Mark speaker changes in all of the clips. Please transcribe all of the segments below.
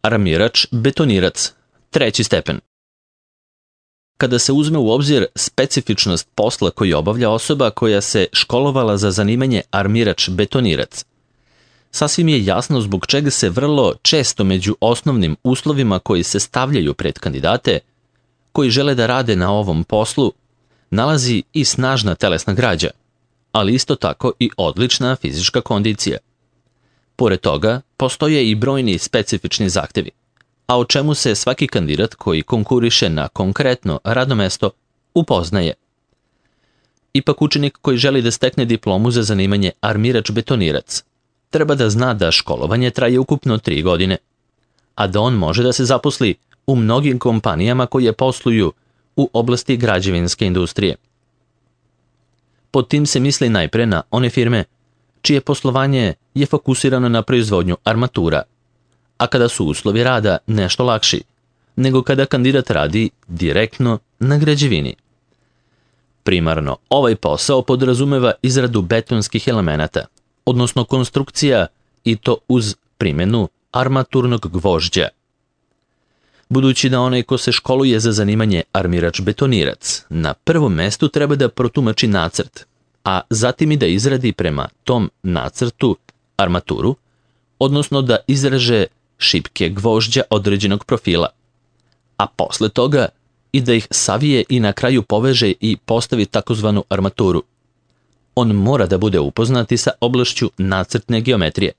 Speaker 1: armirač, betonirac, 3. stepen. Kada se uzme u obzir specifičnost posla koji obavlja osoba koja se školovala za zanimanje armirač, betonirac, sasvim je jasno zbog čega se vrlo često među osnovnim uslovima koji se stavljaju pred kandidate koji žele da rade na ovom poslu nalazi i snažna telesna građa, ali isto tako i odlična fizička kondicija. Pored toga, postoje i brojni specifični zahtevi, a o čemu se svaki kandidat koji konkuriše na konkretno radno mesto upoznaje. Ipak učenik koji želi da stekne diplomu za zanimanje armirač-betonirac treba da zna da školovanje traje ukupno 3 godine, a da on može da se zaposli u mnogim kompanijama koje posluju u oblasti građevinske industrije. Pod tim se misli najpre na one firme čije poslovanje je fokusirano na proizvodnju armatura, a kada su uslovi rada nešto lakši nego kada kandidat radi direktno na građevini. Primarno, ovaj posao podrazumeva izradu betonskih elemenata, odnosno konstrukcija, i to uz primjenu armaturnog gvožđa. Budući da onaj ko se školuje za zanimanje armirač-betonirac na prvom mestu treba da protumači nacrt, a zatim i da izradi prema tom nacrtu armaturu, odnosno da izreže šipke gvožđa određenog profila, a posle toga i da ih savije i na kraju poveže i postavi takozvanu armaturu. On mora da bude upoznat i sa oblašću nacrtne geometrije.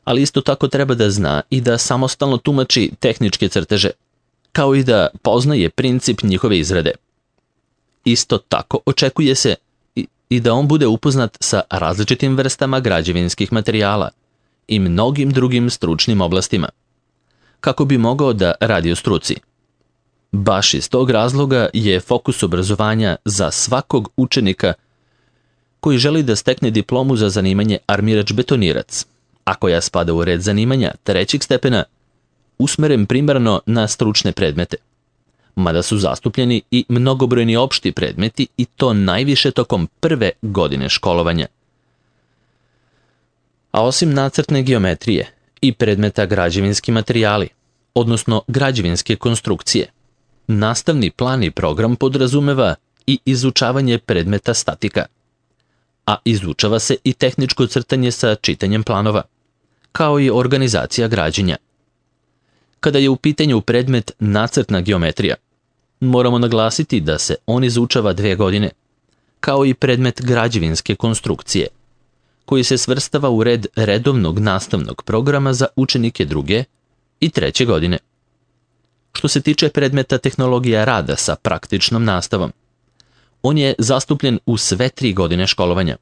Speaker 1: Ali isto tako treba da zna i da samostalno tumači tehničke crteže, kao i da poznaje princip njihove izrade. Isto tako očekuje se i da on bude upoznat sa različitim vrstama građevinskih materijala i mnogim drugim stručnim oblastima, kako bi mogao da radi u struci. Baš iz tog razloga je fokus obrazovanja za svakog učenika koji želi da stekne diplomu za zanimanje armirač-betonirac, a koja spada u red zanimanja 3. stepena, usmeren primarno na stručne predmete, mada su zastupljeni i mnogobrojni opšti predmeti i to najviše tokom prve godine školovanja. A osim nacrtne geometrije i predmeta građevinski materijali, odnosno građevinske konstrukcije, nastavni plan i program podrazumeva i izučavanje predmeta statika, a izučava se i tehničko crtanje sa čitanjem planova, kao i organizacija građenja. Kada je u pitanju predmet nacrtna geometrija, moramo naglasiti da se on izučava 2 godine, kao i predmet građevinske konstrukcije, koji se svrstava u red redovnog nastavnog programa za učenike 2. i 3. godine. Što se tiče predmeta tehnologija rada sa praktičnom nastavom, on je zastupljen u sve 3 godine školovanja,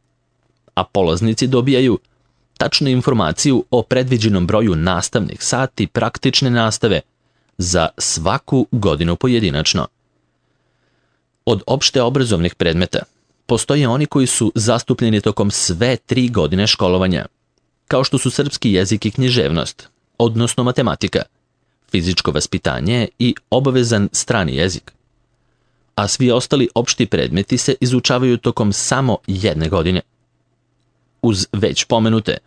Speaker 1: a polaznici dobijaju tačnu informaciju o predviđenom broju nastavnih sati praktične nastave za svaku godinu pojedinačno. Od opšte obrazovnih predmeta postoje oni koji su zastupljeni tokom sve 3 godine školovanja, kao što su srpski jezik i književnost, odnosno matematika, fizičko vaspitanje i obavezan strani jezik. A svi ostali opšti predmeti se izučavaju tokom samo 1 godine. Uz već pomenute,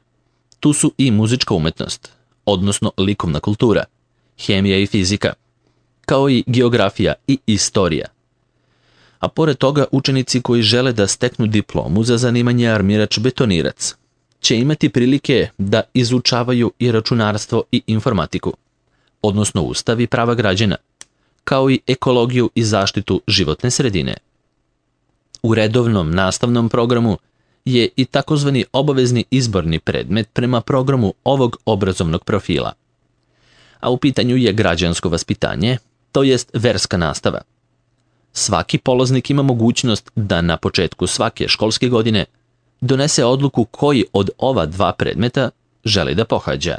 Speaker 1: tu su i muzička umetnost, odnosno likovna kultura, hemija i fizika, kao i geografija i istorija. A pored toga učenici koji žele da steknu diplomu za zanimanje armirač-betonirac će imati prilike da izučavaju i računarstvo i informatiku, odnosno ustav i prava građana, kao i ekologiju i zaštitu životne sredine. U redovnom nastavnom programu je i takozvani obavezni izborni predmet prema programu ovog obrazovnog profila. A u pitanju je građansko vaspitanje, to jest verska nastava. Svaki polaznik ima mogućnost da na početku svake školske godine donese odluku koji od ova 2 predmeta želi da pohađa.